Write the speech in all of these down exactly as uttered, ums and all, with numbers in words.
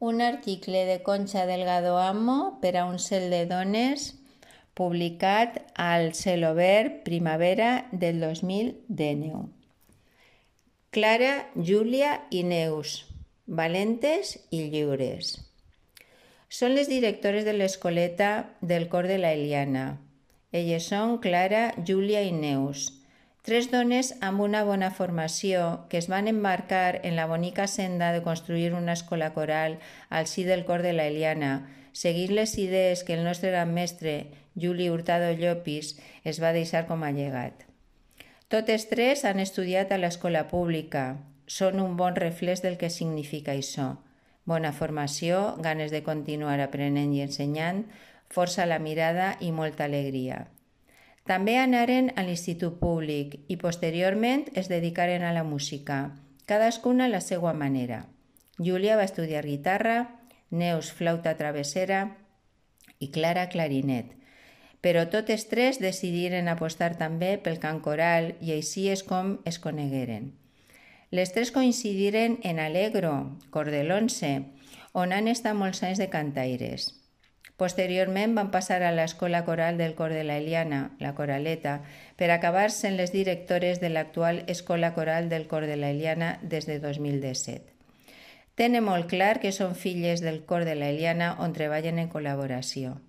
Un article de Concha Delgado Amo per a un cel de dones publicat al Celobert Primavera del dos mil dinou. Clara, Júlia i Neus, valentes i lliures. Són les directores de l'escoleta del cor de la Eliana. Elles són Clara, Júlia i Neus, tres dones amb una bona formació que es van embarcar en la bonica senda de construir una escola coral al si del cor de la Eliana, seguint les idees que el nostre gran mestre, Juli Hurtado Llopis, es va deixar com a llegat. Totes tres han estudiat a l'escola pública. Són un bon reflex del que significa això. Bona formació, ganes de continuar aprenent i ensenyant, força a la mirada i molta alegria. També anaren a l'institut públic i posteriorment es dedicaren a la música, cadascuna a la seva manera. Júlia va estudiar guitarra, Neus flauta travessera i Clara clarinet. Però totes tres decidiren apostar també pel cant coral i així és com es conegueren. Les tres coincidiren en Alegro, cor de l'once, on han estat molts anys de cantaires. Posteriorment van passar a l'escola coral del cor de la Eliana, la Coraleta, per acabar sent les directores de l'actual escola coral del cor de la Eliana des de dos mil disset. Tenen molt clar que són filles del cor de la Eliana on treballen en col·laboració.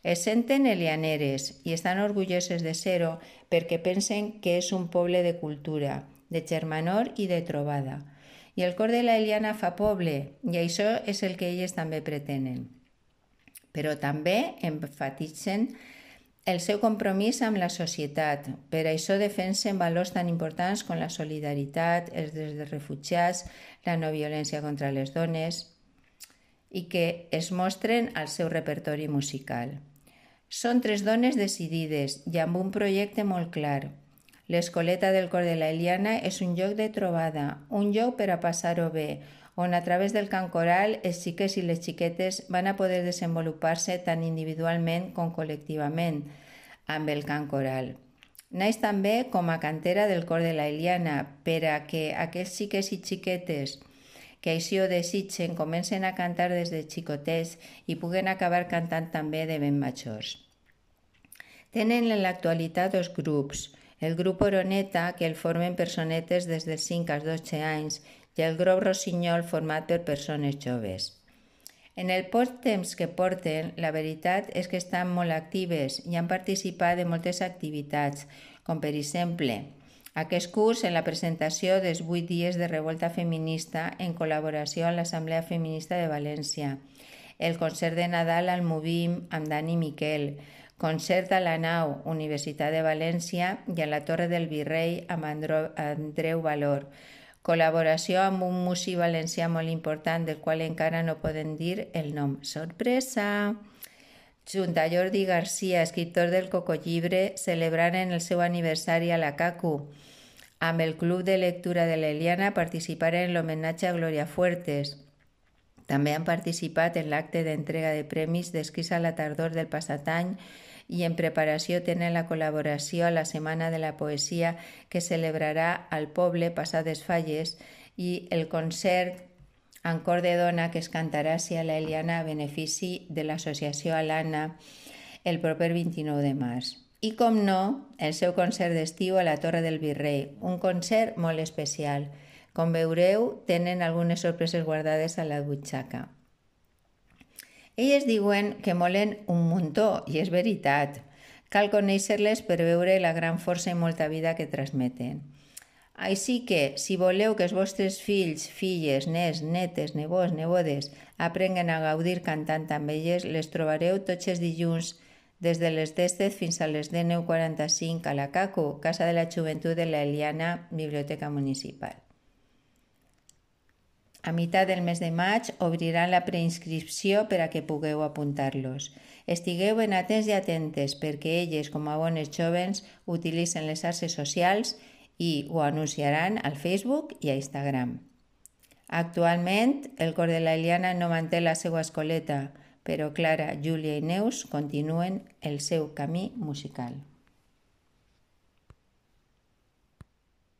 Es senten elianeres i estan orgulloses de ser-ho perquè pensen que és un poble de cultura, de germanor i de trobada. I el cor de la Eliana fa poble i això és el que elles també pretenen. Però també enfatitzen el seu compromís amb la societat. Per això defensen valors tan importants com la solidaritat, els drets dels refugiats, la no violència contra les dones i que es mostren al seu repertori musical. Són tres dones decidides i amb un projecte molt clar. L'escoleta del cor de la Eliana és un lloc de trobada, un lloc per a passar-ho bé, on a través del cant coral els xiquets i les xiquetes van a poder desenvolupar-se tant individualment com col·lectivament amb el cant coral. Naix també com a cantera del cor de la Eliana per a que aquells xiquets i xiquetes que així ho desitgen comencen a cantar des de xicotets i puguen acabar cantant també de ben majors. Tenen en l'actualitat dos grups, el grup Oroneta, que el formen personetes des dels cinc als dotze anys, i el grup Rossinyol, format per persones joves. En el poc temps que porten, la veritat és que estan molt actives i han participat en moltes activitats, com per exemple, aquest curs en la presentació dels vuit dies de revolta feminista en col·laboració amb l'Assemblea Feminista de València, el concert de Nadal al Movim amb Dani Miquel, concert a la Nau, Universitat de València i a la Torre del Virrei amb Andreu Valor, col·laboració amb un músic valencià molt important del qual encara no poden dir el nom. Sorpresa! Junt a Jordi Garcia, escriptor del Cocollibre, celebraren el seu aniversari a la CACU. Amb el Club de Lectura de l'Eliana participaren en l'homenatge a Gloria Fuertes. També han participat en l'acte d'entrega de premis d'escrits a la tardor del passat any i en preparació tenen la col·laboració a la Setmana de la Poesia que celebrarà al poble passades falles i el concert en cor de dona que es cantarà a la Eliana a benefici de l'associació Alana el proper vint-i-nou de març. I, com no, el seu concert d'estiu a la Torre del Virrei, un concert molt especial. Com veureu, tenen algunes sorpreses guardades a la butxaca. Elles diuen que molen un muntó, i és veritat. Cal conèixer-les per veure la gran força i molta vida que transmeten. Així que, si voleu que els vostres fills, filles, nets, netes, nebots, nebodes aprenguen a gaudir cantant amb elles, les trobareu tots els dilluns des de les disset fins a les dinou quaranta-cinc a la CACU, Casa de la Joventut de la Eliana, Biblioteca Municipal. A meitat del mes de maig obriran la preinscripció per a que pugueu apuntar-los. Estigueu ben atents i atentes perquè elles, com a bones jovens, utilitzen les xarxes socials i ho anunciaran al Facebook i a Instagram. Actualment, el cor de la Eliana no manté la seva escoleta, però Clara, Júlia i Neus continuen el seu camí musical.